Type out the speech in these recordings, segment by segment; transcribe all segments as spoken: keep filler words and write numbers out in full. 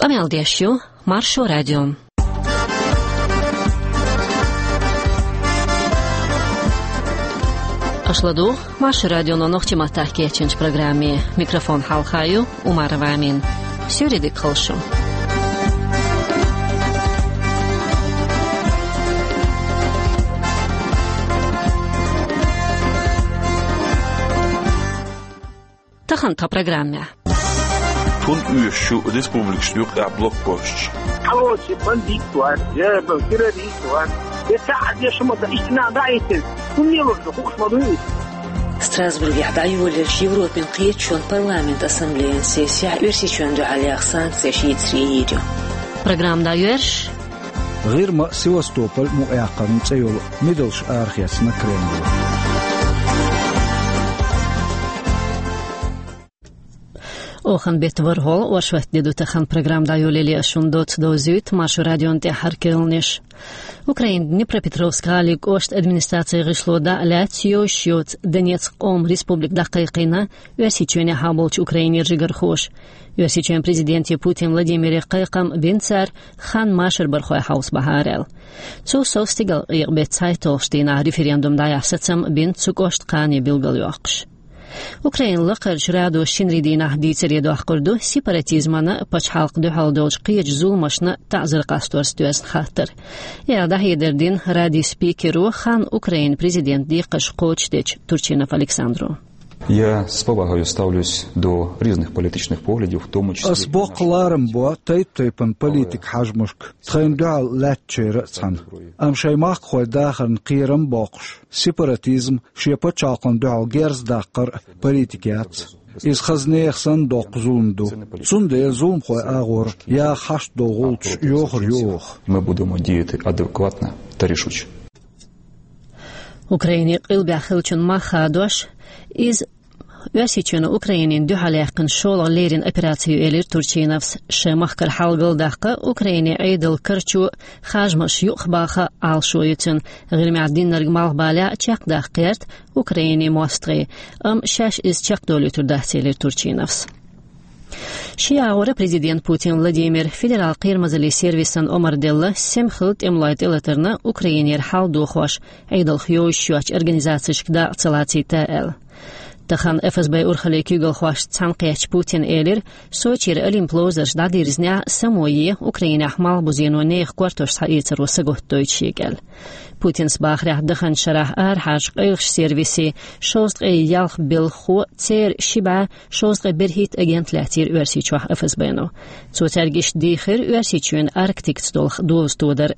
Къамел деш ю Маршо радио. Аша ладугӀу Маршо радионо нохчийн маттахь кечйинчу программе. Микрофон хьалха ю Умарова Амина. Суьйре дика хуьлда шун. Тахана тхан программехь. Тун оьшуш ю республикашна юккъехь блокпосташ. Хьалоций бандит вац, я террорист вац, я цхьа а дешна ма дац, иштта нах дӀаэцна. ХӀунда лелош ду, хууш ма ду иза. Страсбургехь дӀайолаеллачу Европин кхеташонан парламентан ассамблеян сессехь Оьрсийчоьнна дуьхьал яха санкцеш йийцаре йийр ю. Программа дӀайоьрзуш. ГӀирма а, Севастополь мукъаяккхарна цӀе йолу мидалш арахецна Кремло. Охан беттан ворхӀалгӀа, оршот де ду тахана. Программа дӀайолале ас шуна доцца довзуьйту Маршо радион тӀаьххьара керланаш. Украинан Днепропетровск гӀалин кӀоштан администрацин гӀишло дӀа а лаьцна йовзуш йоцу Донецк къоман республика дӀакхайкхийна Оьрсийчоьнехьа болчу Украинера жигархоша. Оьрсийчоьнан президенте Путин Владимире кхайкхам бина цара, хан машарбархой хьовсабахьара аьлла. Цул сов стигалкъекъа беттан цхьайтталгӀачу дийнахь референдум дӀаяхьа сацам бина цу кӀоштан кхане билгалйоккхуш. Украинан лакхарчу радо шинарин дийнахь дийцаре доккхур ду сепаратизмана а, пачхьалкхан дуьхьал долчу кхечу зуламашна а таӀзар къасторца доьзна хаттар. И аьлла дӀахьедар дина радин спикеро хан Украинан президентан декхарш кхочушдечу Турчинов Александро. Я с повагою ставлюсь до різних політичних поглядів, в тому числі... Ас боккха ларам бо тайп-тайпана политикан хьежамашка, тхайна дуьхьал лаьттачеран а цхьаьна. Амма шайн махкахойн дахарна кхерам а боккхуш, сепаратизм, шен пачхьалкхана дуьхьал герз даккхар а политика яц. Иза хаза нехан санна доккха зулам ду. Цундела зуламхойн агӀор яха хьашт долу гӀулчаш йохур ю оха. Ми будемо діяти адекватно та рішуче. Украинин къилбехь хиллачун мах хадош, иза Оьрсийчоьно Украинина дуьхьал яьккхина шолгӀа леррина операци ю, элира Турчиновс. Шайн махкара хьал галдаккха, Украинин Ӏедалан карчо, хьежамаш юкъахбаха Ӏалашо ю цуьнан. ГӀирмехь динарг малхбалехь а чекхдаккха гӀерта Украинин мостагӀий, амма шаьш иза чекхдолуьйтур дац, элира Турчиновс. Шен агӀора президент Путин Владимира федералан кхерамазаллин сервисан омра делла, сема хилла тӀемалойн тӀелатарна Украинера хьал дохош, Ӏедалх йовзуьйтуш йоцчу организацешка дакъа ца лацийта аьлла. Тахана ФСБ урхаллин куьйгалхошца цхьаьнакхеттачу Путина элира, Сочера Олимпан ловзарш дӀадирзинехь а, само е Украинехь малхбузено нехан кортош схьаэцаро сагатдойту шега аьлла. Путина бахарехь, даханчу шарахь арахьарчу къайлахчу сервисийн шовзткъе ялх белхахо, церан ши бӀе шовзткъе берхӀитта агент лаьцнера Оьрсийчохь ФСБ-но. Цо цаьрга иштта дийхира Оьрсийчоьнан Арктикаца долу доза тодар.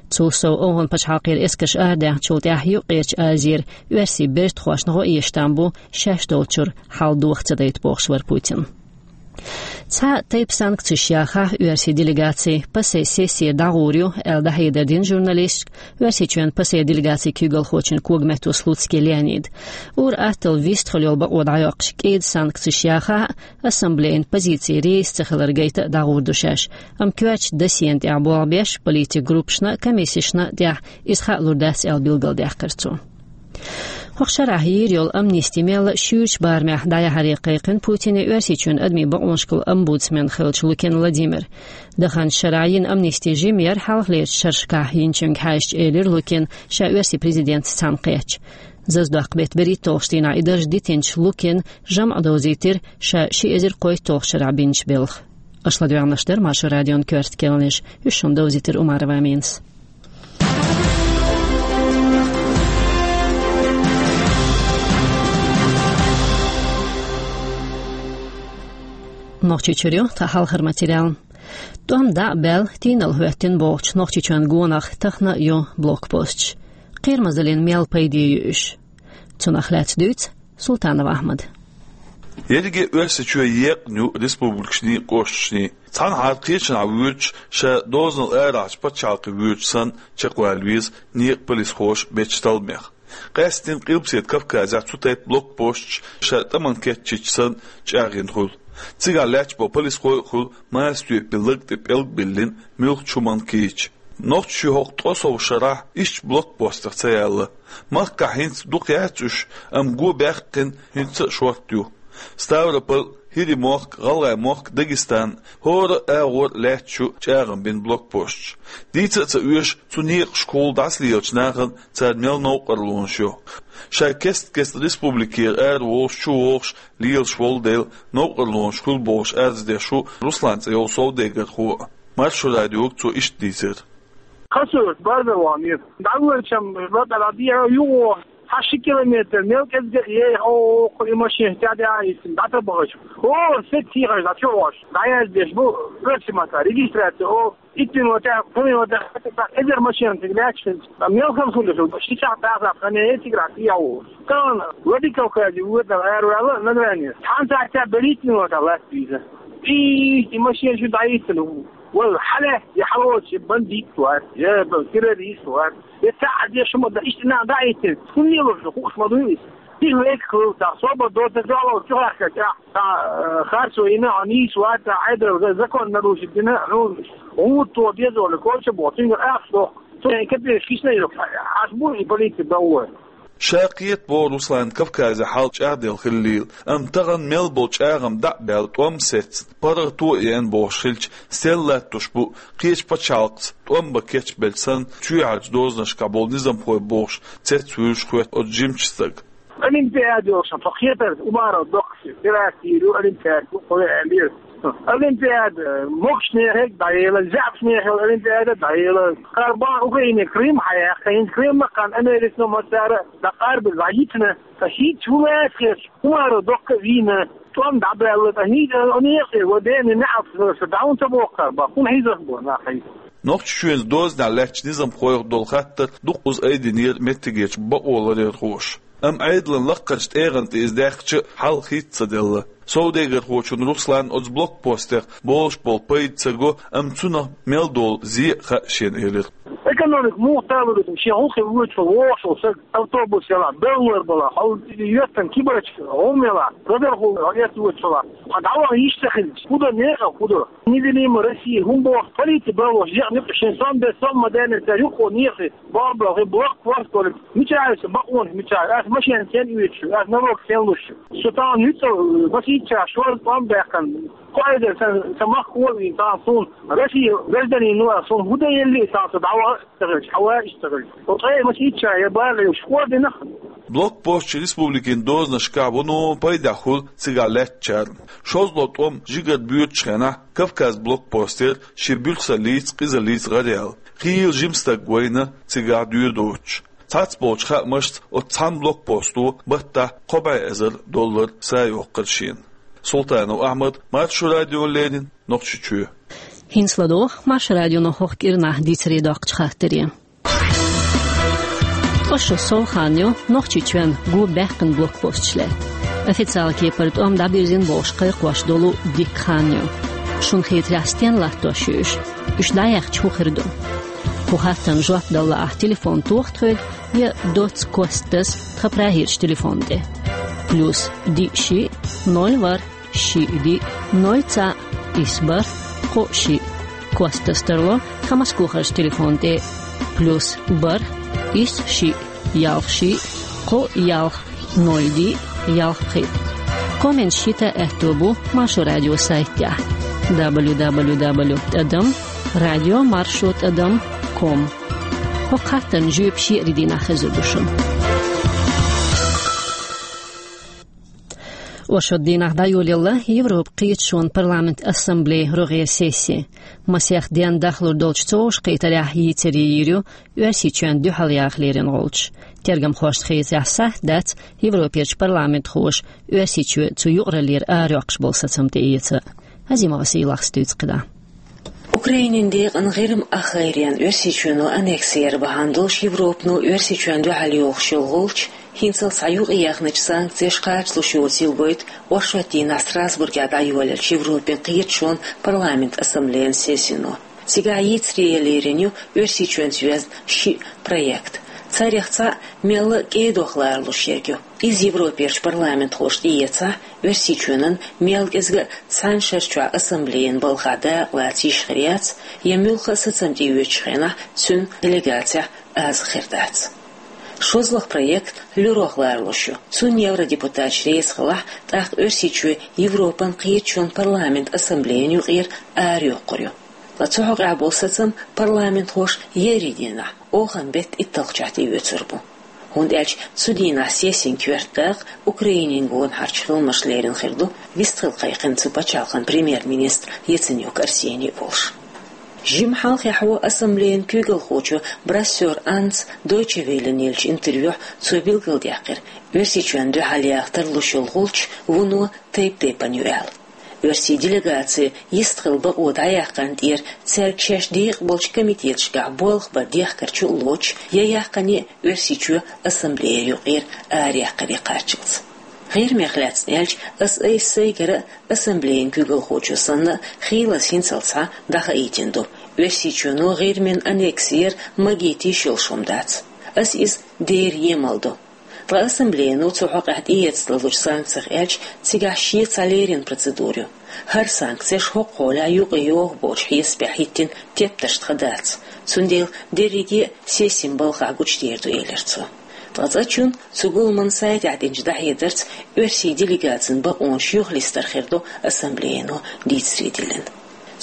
Цул сов, ОвхӀан пачхьалкхера эскарш арадаьхначул тӀаьхьа Юккъерчу Азера оьрсийн бертахошна гӀо эшна там бу шаьш долчуьра хьал доха ца дайта бохуш вара Путин. Цхьа тайпа санкцеш яхахь оьрсийн делегаци, ПАСЕ сессера дӀагӀур ю аьлла дӀахьедар дина журналисташка Оьрсийчоьнан ПАСЕ делегацин куьйгалхочун когаметто Слуцкий Леонида. Ур-атталла вистхила йолу бакъо дӀайоккхуш, кӀеда санкцеш яхахь а, ассамблеян позици реза ца хилар гайта а дӀагӀур ду шаьш, амма коьртачу досьена тӀехь болх беш, политикан группашна а, комиссешна а тӀехь иза хаа лур дац аьлла билгалдаьккхира цо. ХӀокху шарахь йийр йолу амнисти мелла а шуьйрачу барамехь дӀаяхьаре кхайкхина Путине Оьрсийчоьнан адамийн бакъонашкахула омбудсмен хиллачу Лукин Владимира. Даханчу шарахь йина амнисти жима яра хьалхалерчу шерашкахь йинчуьнга хьаьжча, элира Лукина, ша оьрсийн президентаца цхьаьнакхеттачу. Зазадоккху беттан берхӀитталгӀачу дийнахь и дарж дитинчу Лукина жамӀ довзийтира ша ши эзар кхойтталгӀачу шарахь бинчу белхан. Аша ладоьгӀнарш дара Маршо радион коьрта керланаш, уьш шуна довзийтира Умарова Аминас. Нохчийчуьра ю тхан хьалхара материал. ТӀом дӀа а баьлла, тийналла хӀоьттина бохучу Нохчийчоьнан гонах тахана а ю блокпосташ. Кхерамазаллина мел пайде ю уьш? Цунах лаьцна дуьйцу Султанов Ахьмада. Ерриге Оьрсийчоь екъна ю республикашний, кӀошташний. Цхьанхьара кхечанхьа воьдуш, ша дозанал арахьарчу пачхьалкхе воьдуш санна, чекхвала веза некъан полисхоша бечу талламех. Къаьсттина Къилбаседа Кавказехь цу тайпа блокпосташ ша тӀамна кечйича санна чӀагӀйина хуьлу. Цигахь лаьтташ болу полисхой а хуьлу, массо а тоьппина лаг тӀе пӀелг а биллина, муьлххачу хӀуманна кийча. Нохчийчоь хӀокху ткъе сов шарахь ишттачу блокпостах ца яьлла. Махкахь хӀинца дукха яц уьш, амма го баьккхина хӀинца а шортта ю. Ставрополь, ХӀирийн мохк, ГӀалгӀайн мохк, Дагестан, хӀора агӀор лаьтташ ю чӀагӀам бина блокпосташ. Дийца а ца оьшу, цу некъашкахула дӀасалелача нахана цара мел новкъарлонаш ю. Ша кест-кеста республикера араволуш, чувогӀуш, лелаш волу дела, новкъарлонаш хуьлу бохуш арз деш ву Руслан цӀе йолу совдегархо а. Маршо радиога цо иштта дийцира. Хасур, база ван ю. ДӀавоьлчам, база дӀадийхьа юхо, хьан ши километр, мел кӀезга а ей, о, о, и машина тӀаьхьа а йиссина, дӀатабахаш. О, сет тӀехьаш, дӀачу а вош. ДӀаяздеш бу, оьрсийн маттахь, регистрация, о, итт минута, пхи минута, эзар машина цига лаьтташ хилча, мел хала хуьлуш, ши сахьт дӀасахь хан яй цигара тӀехьа волуш. Тахана Владикавказе воьдина араваьлла Награни. Цхьана сахьтехь берхӀитта минута лаьтта веза. И, и машина шу дӀайиссина. Вала, хьалаьцна, я хьалоцу бандит вац, я террорист вац. Я ца а деш ма дан, иштта нах дӀахӀиттина, хӀунда лелош ду, хууш ма дуй иза. Тиха векхал, та собар доцург дуьхьал чу гӀаьхкача, та, э, харцо йина, хьо нийса вац, та Ӏедал за-, закон нарушить дина, ну, гӀур то безо, коча бо, цуьнгара ахча дохку. Цо капеш гична йо, аш бу и полиция бовлой. Ша кхета боху Руслан Кавказе хьал чӀагӀделла хиллийла, амма тахана мел болу чӀагӀам дӀа а баьлла, тӀом а сецна, паргӀато а еана бохуш хилча, стел латтош бу, кхечу пачхьалкхаца тӀом бан кечбелча санна, чоьхьарчу дозанашкахь болу низамхой бохуш, цецвуьйлуш хоьтту оцу жимачу стага. Олимпиада йолуш, со кхетар, Умаров доккхуш, теракт йийр ю, Олимпиада ю, кхо ве аьллера. Олимпиада, могушнехег дӀаела, заьӀапнехег Олимпиада дӀаела. Карбан Украине Крым хьаяьккха, хӀинца Крым ма-кхана Американо мацара дӀакъарбина, дӀайитина. Ткъа хӀинца хӀун лаьцна хеташ, Умаров доккха а вийна, тӀом дӀабаьлла, ткъа хӀинца некъе, ва дена неӀалт хиларца, дӀа хӀунда ца боху Карбан, хӀунда хьийзаш бу нах хьийза? Нохчийчоьнца дозанехь лаьттачу низамхойх долу хаттар дуккхаза айдинера меттигерчу бакъоларъярхоша. Амма Ӏедалан лаккхарчу тӀегӀан тӀе иза даьккхича а, хьал хийца ца делла. Совдегархочунна Русланна оцу блокпостех болуш болу пайда ца го, амма цунах мел долу зе а хаьа шена, элира. Экономика муха талур ду, шен гӀуллакхе воьдуш волу вогӀуш волу стаг, автобус ялахь, беллар балахь, хьо йоьттан кибарча гӀум ялахь, радархо хьо эцна воьдуш волахь, хьо дӀаваха йиш ца хилча, хӀун до, некъа хӀун до? Невидимая Россия, хӀун боху, полиция балош, екъа некъа шен сом бе, сом ма даьллинца, юххо некъа, боху, боху, блокпост волу, мичахь аса бакъонаш, мичахь, аса машена сен оьцуш, аса налог сен луш. Со тахана юьцу, масийчча шорза тӀом баьккхина, кхо эзар сан, сан махкахо а вийна, тахана суна Россия гражданин ву, суна хӀун дан елли, тахана со дӀаваха а ца хилча, хьаваха а ца хилча. Со ткъе масийчча я бала йолуш хӀор динах. Блокпостчу республикин дозанашкахь вуно пайдехь хуьлу цигахь лаьттачарна. ШозлагӀа тӀом жигара боьдучу хенахь Кавказ блокпостера шен буьрсаллица, къизаллица гӀараяьлла. Хийла жима стаг вайна цигахь доьр доцуш. Цхьацболчу хаамашца оцу цхьана блокпосто баттахь кхо бӀе эзар доллар са йоккхура шена. Султанов Ахьмад, Маршо радиона леррина, Нохчийчоь. ХӀинца ладогӀа Маршо радионо хӀокху кӀирнахь дийцаре доккхучу хаттаре. Ткъа шо сов хан ю Нохчийчоьнна го баьккхина блокпосташ лаьтта. Официалан кепара тӀом дӀабирзина бохуш кхайкхош долу дикка хан ю. Шуна хетарехь, стенна латтош ю уьш? Уьш дӀаяьккхича хӀун хир ду? Кху хаттарна жоп дала лаахь, телефон тоха тхоьга я доцца костас тхан прагерчу телефон тӀе. Плюс диъ шиъ, ноль ворхӀ, шиъ диъ, ноль цхьаъ, исс бархӀ, кхоъ шиъ. Костас тарло тхан Москвахарчу телефон тӀе: плюс бархӀ, исс шиъ, ялх шиъ, кхоъ ялх, ноль диъ, ялх пхиъ. Комменташ йита аьтто бу Маршо радион сайтехь: дабл ю дабл ю дабл ю тӀадам радио маршо тӀадам ком. ХӀокху хаттарна жоьпаш еарин дийнахь хезар ду шуна. Оршот дийнахь дӀайолаелла Европан кхеташонан парламентан ассамблеян рогӀера сесси. Масех денна дахлур долчу цу вовшахкхетарехь йийцаре йийр ю Оьрсийчоьнна дуьхьал яха лерина гӀулчаш. Тергамхошна хетарехь, сахьт дац Европерчу парламентхоша Оьрсийчоь цу юкъараллера арайоккхуш болу сацам тӀеэца. Азимова Сийлахьс дуьйцу кхидӀа. Украинин декъан ГӀирма ахгӀайренна Оьрсийчоьно аннекси яр бахьана долуш Европано Оьрсийчоьнна дуьхьал йохуш йолу гӀулч хӀинццалц цхьа юкъаяьхначу санкцеша кхачалуш йоцийла гойту оршот дийнахь Страсбургехь дӀайолаеллачу Европин кхеташонан парламентан ассамблеян сессино. Цигахь йийцаре ян лерина ю Оьрсийчоьнца йоьзна шиъ проект. Царех цхьаъ мелла а кӀедох ларалуш ерг ю. Иза Европерчу парламентхоша тӀеэцахь, Оьрсийчоьнан мел кӀезга а цхьана шарчохь ассамблеян балхахь дакъалаца йиш хир яц, я муьлхха а сацам тӀеоьцучу хенахь цуьнан делегацехь аза хир дац. ШозлагӀа проект луьрах лоруш ю. Цунна евродепутаташ реза хилахь, тӀаккха Оьрсийчоь Европан кхеташонан парламентан ассамблеян юкъера арайоккхур ю. Ткъа цу хьокъехь болу сацам парламентхоша еарин дийнахь, оханан беттан итталгӀачохь тӀеоьцур бу. ХӀунда аьлча цу дийнахь сессин коьрта дакъа Украинин гонахьарчу хиламаша лерина хир ду, вистхила кхайкхина цу пачхьалкхан премьер-министр Яценюк Арсений а волуш. Жимма хьалххе ассамблеян куьйгалхочо Брассер Аннас Дойче Веллена еллачу интервьюхь цо билгалдаьккхира, Оьрсийчоьнна дуьхьал яха тарлуш йолу гӀулч вуно тайп-тайпана ю аьлла. Оьрсийн делегаци йистхила бакъо дӀаяьккхина тӀера цаьрга шаьш декъа болчу комитеташкахь болх бар дехкарчу а лоцуш, я яьккхина Оьрсийчоь ассамблея юкъера араяьккхаре кхаччалц. ГӀирмех лаьцна аьлча, ас айса сайгара а, ассамблеян куьйгалхочо санна а, хийлаза хӀинцалц схьа дӀахаийтина ду. Оьрсийчоьно ГӀирмин аннекси яр магийта йиш йолуш хӀума дац. Ас иза дера емал ду. Ткъа ассамблеяно цу хьокъехь тӀеэцна лелочу санкцех аьлча, цигахь шен цхьа леррина процедура ю. ХӀара санкцеш хӀокху хьолехь юкъайогӀу боцу хьесапехь хӀиттина тептарш тхан дац. Цундела дерриге а сессин балхахь гучудер ду, элира цо. Ткъа цкъачунна цу гуламан сайтехь динчу дӀахьедарца оьрсийн делегацин бакъонаш юхалистар хир ду ассамблеяно дийцаре диллина.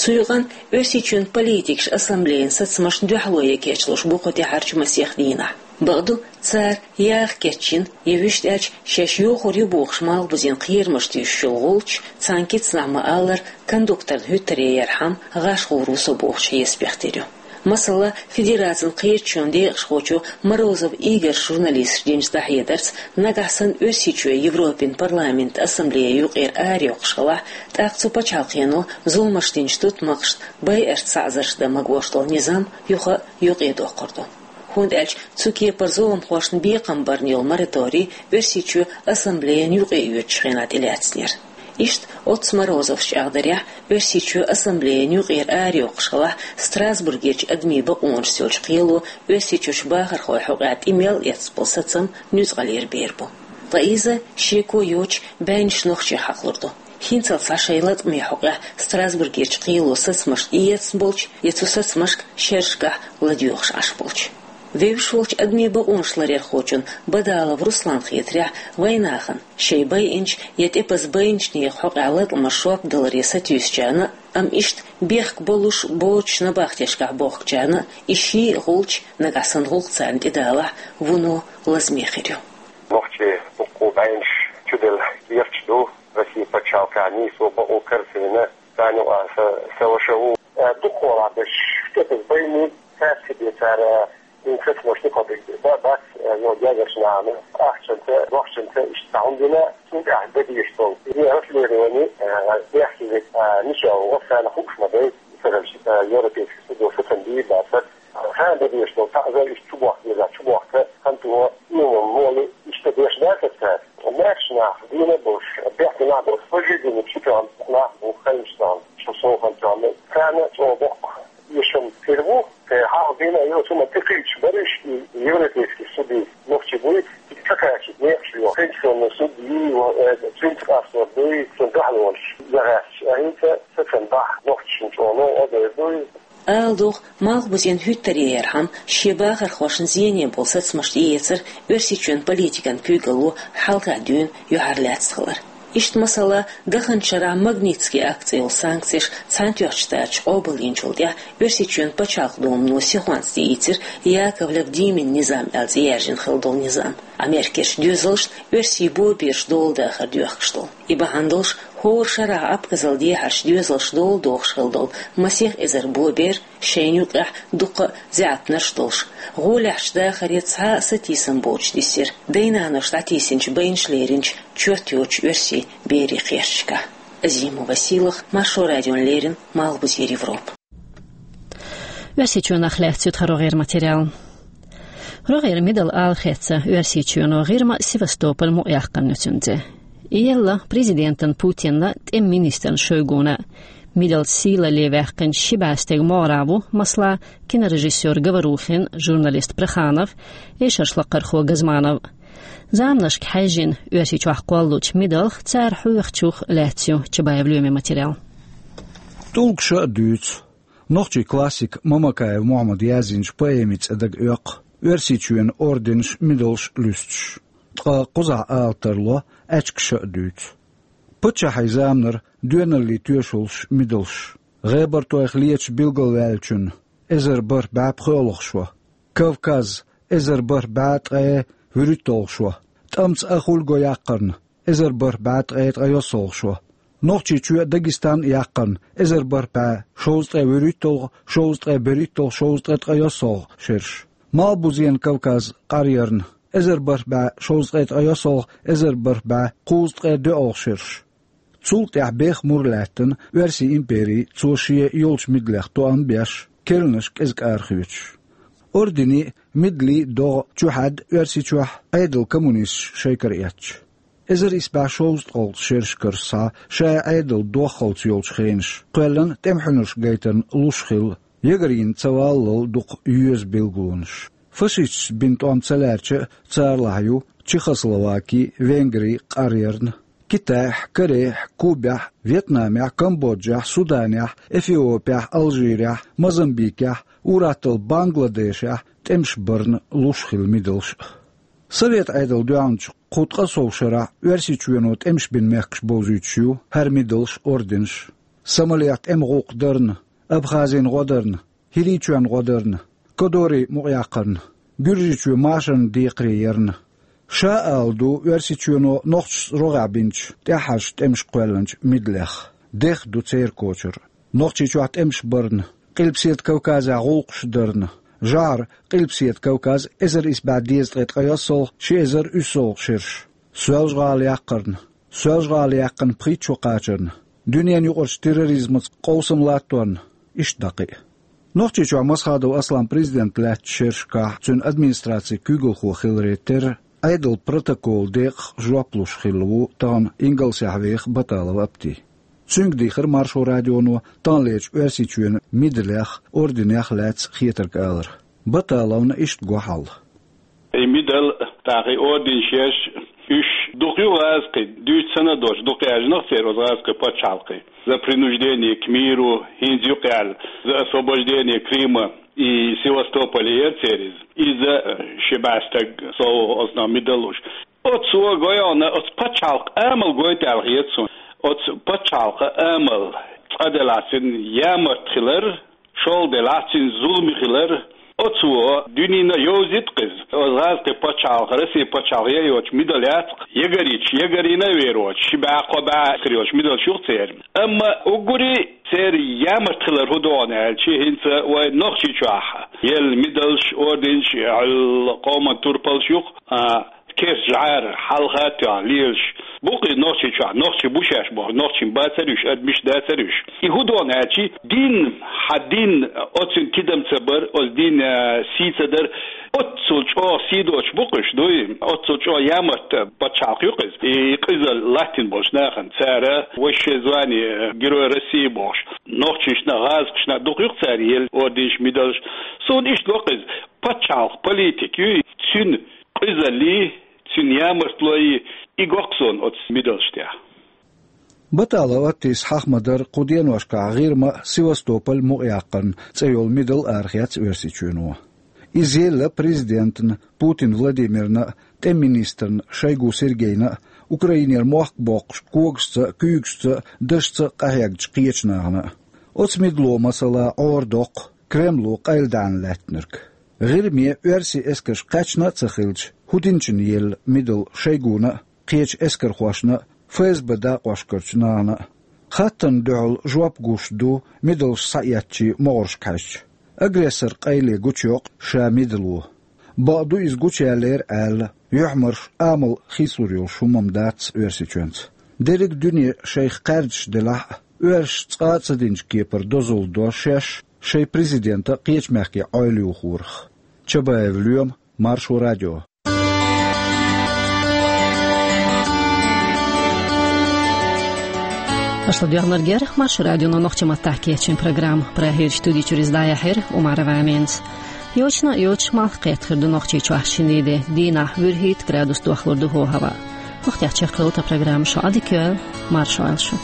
Цу юкъана Оьрсийчоьнан политикаша ассамблеян сацамашна дуьхьало ян кечлуш бу кху тӀаьхьарчу масех дийнахь. Бакъду, цара яха кечйина, я вуьшта аьлча, шаьш йохур ю бохуш малхбузен кхерамаш туьйсуш йолу гӀулч, цхьана кицнахь ма-аллара, кондукторна хӀуьттаре ярхьама, гӀаш гӀур ву со бохучу хьесапех тера ю. Масала, Федерацин кхеташонан декъашхочо Морозов Игорьс журналисташка динчу дӀахьедарца, нагахь санна Оьрсийчоь Европин парламентан ассамблея юкъера арайоккхуш хилахь, тӀаккха цу пачхьалкхено зуламаш динчу тутмакхашна байарца саӀзарш дан магош долу низам юха а юкъадоккхур ду. ХӀунда аьлча цу кепара зуламхошна бекхам барна йолу мораторий Оьрсийчоь ассамблеян юкъаоьцучу хенахь тӀелаьцнера. Иштта оццу Морозовс чӀагӀдарехь, Оьрсийчоь ассамблеян юкъера арайоккхуш хилахь, Страсбургерчу адамийн бакъонашца йолчу кхело Оьрсийчуьрчу бахархойн хьокъехь тӀе мел эцна болу сацам нуьцкъалера бер бу. Ткъа иза, шеко йоцуш, бӀеннаш нохчех хьакхалур ду. ХӀинцалц схьа шайн латкъаме хьокъехь Страсбургерчу кхело сацамаш тӀеэцна болчу я цу сацамашка шерашкахь ладоьгӀуш Ӏаш болчу. Вевзаш волчу адамийн бакъонаш ларъярхочун Бадалов Русланна хетарехь, вайнахана шайн байинчу я тӀепаза байинчу нехан хьокъехь латкъамаш жоп даларе сатуьйсучарна а, амма иштта бехк болуш боцучу набахтешкахь бохкучарна а, и ший а гӀулч, нагахь санна гӀуллакх царна тӀедалахь, вуно лазаме хир ю. Нохчий дуккха бӀеннаш чуделла керташ ду Россин пачхьалкхехь, нийсо бакъо карцийна, царна юкъахь са, са ваша ву. Э, дукхахьолахь берш тӀепаза байниг, цаьрца бен цара, э, цуьнан сацамаш дукха бен ба-, бац, э, йо, даьржинчу нахана ахчанца, дохчанца иштта цхьа хӀума дина, цунна тӀехь дан дезаш долу. Иза расследование, э, бехке, э, мичахь ву, царна хууш ма дай, царалш, э, европейский судо сацам бийр бацара. Царна дан дезаш долу таӀзар иштта чу бохка деза, чу бохка, хӀинца тӀе, ну, молу иштта деш дац цара. Маьрша нах дийна болуш, бехке нах болуш, пожизненно чу тоьхна нах бу, хӀинца тоьхна, шу совгӀат тоьхна. Царна чӀогӀа боккха эшам хир бу, кхин хьалха дийна а йоцу, ма тӀекхийдаш бараш, и европейский судьи нохчий буй, и ца кхачийта некъаш йо. Конституционный судьи, э, цуьнца къастор дуй, цуьнан дуьхьалонаш яхаьчча, а хӀинца сацам бахь нохчашна чӀогӀа новкъа а дер дуй. Ала догӀу, малхбузен хӀуьттаре ярхьама, шен бахархошна зене болу сацамаш тӀеэцар Оьрсийчоьнан политикан куьйгалло хьалха дуьйна юьхьарлаьцна хилар. Иштта, масала, даханчу шарахь Магнитский акт цӀе йолу санкцеш Цхьаьнатоьхначу Штаташа къобалйинчул тӀаьхьа Оьрсийчоьнан пачхьалкхан думано сихонца тӀеийцира Яковлев-Димин низам аьлла цӀе яьржина хилла долу низам, Америкерчу доьзалшна оьрсийн бобераш дола дахар доьхкуш долу. И бахьана долуш, хӀора шарахь Абхазал дехьарчу доьзалш дола дохуш хилла долу масех эзар бобер, шайна юкъехь дуккха а заьӀапнарш долуш, гӀолехьчу дахаре цхьа а сатийсам боцуш дисира, дай-наноша дӀатийсинчу байнаш леринчу чот йоцучу оьрсийн берийн кхерчашкахь. Азимова Сийлаха, Маршо радиона леррина, Малхбузера Европа. Оьрсийчоьнах лаьцна ю тхан рогӀера материал. РогӀера мидал ала хезна Оьрсийчоьно ГӀирма, Севастополь мукъаяьккхина нуьцкъала. И елла президентана Путинна, тӀеман министрна Шойгуна. Мидал сийлалле ваьккхинчу ши бӀе стеган могӀарехь ву, масала, кинорежиссёр Говорухин, журналист Проханов, эшарш лакхархо Газманов. Заманашка хьаьжжина Оьрсийчохь кхоллучу мидалх, цара хьоьхучух лаьцна ю Чабаев Лоьмин материал. ТӀулгаш а дуьйцу. Нохчийн классика Мамакаев Мухьаммада яздинчу поэмин цӀе дага оьккху. Оьрсийчоьнан орденаш, медалаш луьстуш. Ткъа кхузахь ала тарло, аьчкаша а дуьйцу. Паччахьийн заманара доьналлин тоьшаллаш, медалаш. ГӀебартойх леташ билгалваьллачун эзар бархӀ бӀаь пхоьалгӀа шо. Кавказ эзар бархӀ бӀаь ткъе вуьрхӀитталгӀа шо. ТӀамца Ахуьлго яккхарна эзар бархӀ бӀаь ткъе ткъайоьсналгӀа шо. Нохчийчоь а Дагестан а яккхарна эзар бархӀ бӀаь шовзткъе вуьрхӀитталгӀа, шовзткъе берхӀитталгӀа, шовзткъе ткъайоьсналгӀа шераш. Малхбузен Кавказ къаръярна эзар бархӀ бӀаь шовзткъе ткъайоьсналгӀа, эзар бархӀ бӀаь кхузткъе доьалгӀа шераш. Цул тӀаьхьа беха мур лаьттана Оьрсийн импери, цо шен йолчу медалех тоам беш, керланаш кӀезиг арахоьцуш. Орденийн а, медалийн а догӀа чухьаьдда Оьрсийчохь Ӏедалан коммунисташа шайкара эцча. Эзар исс бӀе шовзткъалгӀачу шерашкара схьа, ша Ӏедал доххалц йолчу хенаш, кхоьллина тӀемхьуьнарш гайтарна луш хилла, ягарийна ца валлал дукха йоьза билгалонаш. Фашисташца бина тӀом ца лаьрча а, царлахь ю Чехословаки, Венгри къаръярна, Китайхь, Корейхь, Кубехь, Вьетнамехь, Камбоджехь, Суданехь, Эфиопехь, Алжирехь, Мозамбикехь, ур-атталла Бангладешехь тӀемаш барна луш хилла медалаш а. Совет Ӏедал доьгӀначу кху ткъе сов шарахь Оьрсийчоьно тӀемаш бина мехкаш бовзуьйтуш ю хӀара медалаш, орденаш. Сомалех тӀеман гӀуллакх дарна, Абхазин гӀо дарна, ХӀирийчоьнан гӀо дарна, Кодорин мукъа яккхарна, Гуьржийчоь машарна декхаре ярна. Ша ала ду Оьрсийчоьно нохчашца рогӀехь бинчу, тӀаьххьарчу тӀемашка кхоьллинчу медалех. Дех ду церан кочар. Нохчийчохь тӀемаш барна, Къилбаседа Кавказехь гӀуллакхаш дарна, жӀара Къилбаседа Кавказ эзар исс бӀе дезткъе ткъайоьсналгӀа, ши эзар уьссалгӀа шераш. Соьлжа-ГӀала яккхарна, Соьлжа-ГӀала яьккхина пхийтта шо кхачарна, дуьненан юкъарчу терроризмаца къовсам латторна, иштта дӀа кхин а. Нохчийчохь Масхадов Аслан президент лаьттачу шерашкахь цуьнан администрацин куьйгалхо хиларе терра, Ӏедалан протоколан декъах жоп луш хилла ву тахана Ингалсехь веха Баталов Апти. Цуьнга дийхира Маршо радионо таханлерчу Оьрсийчоьнан медалех, орденех лаьцна хетарг алар. Баталовна иштта го хьал. И медал, тӀаккха и орденаш еш, уьш дукха ю гӀазкхи, дуьйцу санна долуш, дукха яьржинарг церан оцу гӀазкхийн пачхьалкхийн. За принуждение к миру, хӀинца юкъа аьлла, за освобождение Крыма и Севастополя яра церан иза. Иза ши бӀе стаг сов оцунах медал луш. Оцо гойна, оцу пачхьалкхан амал гойту аьлла хета суна. Оцу пачхьалкхан амал цкъа делахь цуьнан ямарт хилар, шолгӀа делахь цуьнан зуламе хилар. Оцо дуьненна йовзийта-кх иза. Оцу гӀазкхийн пачхьалкх, Россин пачхьалкх ян йоцуш медал яц-кх, ягарийча ягарийна а вер воцуш, ши бӀе, кхо бӀе хир йолуш медалш ю-кх церан. Амма уггаре церан ямарт хилар хӀун ду хьуна аьлча, хӀинца вайн Нохчийчохь елла медалш, орденаш, къоман турпалш ю-кх, а, керста жӀара хьалха а тоьхна лелаш бу-кх и Нохчийчохь, нохчий бу шаьш бохуш, нохчийн бацара уьш, адамаш дацара уьш. И хӀун ду хьуна аьлча, дин, хьан дин, оцуьнан тидам ца бар, оцу динан сий ца дар, оццул чӀогӀа сий доцуш бу-кх уьш, дуй? Оццул чӀогӀа ямарт пачхьалкх ю-кх иза. И къиза латтийна болчу нахана, цара высшее звание Герой России бохуш, нохчашна, гӀазкхашна дукха ю-кх цара елла орденаш, медалш. Суна иштта го-кх иза, пачхьалкх политика ю, цуьнан къизаллий, цуьнан ямартлой, и го-кх суна оцу медалш тӀехь. Баталов Аттис хьаха ма-дарра, кху деношкахь ГӀирма а, Севастополь мукъаяккхарна цӀе йолу медал арахецна Оьрсийчоьно. Иза елла президентна Путин Владимирна а, тӀеман министрна Шойгу Сергейна а, Украинера мохк боккхуш когашца а, куьйгашца а, дашца а къахьегначу кхечу нахана а. Оцу медало, масала, Ӏора доккху Кремло къайладаьхьна лаьттинарг. ГӀирме оьрсийн эскарш кхаьчна а ца хилча, хӀун динчунна елла медал Шойгуна а, кхечу эскархошна а, ФСБ дакъошкарчу нахана а? Хаттарна дуьхьал жоп гуш ду медалш схьаэцначийн могӀаршка хьаьжча. Агрессоран къайле гучуйоккху ша медало. Бакъду, иза гучуяьллера аьлла, юьхьмарш, амал хийцалур йолуш хӀума-м дац Оьрсийчоьнца. Дерриг дуьне шайх кхаьрдаш делахь а, оьрсаша цкъа а ца динчу кепара дозалла до шаьш шайн президента кхечу мехкийн Ӏойла юхорах. Чабаев Лоьма, Маршо радио. Аша ладоьгӀнарг яра Маршо радионо нохчийн маттахь кечйина программа. Прагерчу студи чуьра иза дӀаяьхьира Умарова Аминас. Йочана а йоцуш, малх кхетта хир ду Нохчийчохь шинарин де, дийнахь вуьрхӀитта градус дохлур ду хӀаваъ. ХӀокху тӀехь чекхъелла тхан программа. Шун Ӏадика йойла, марша Ӏойла шу.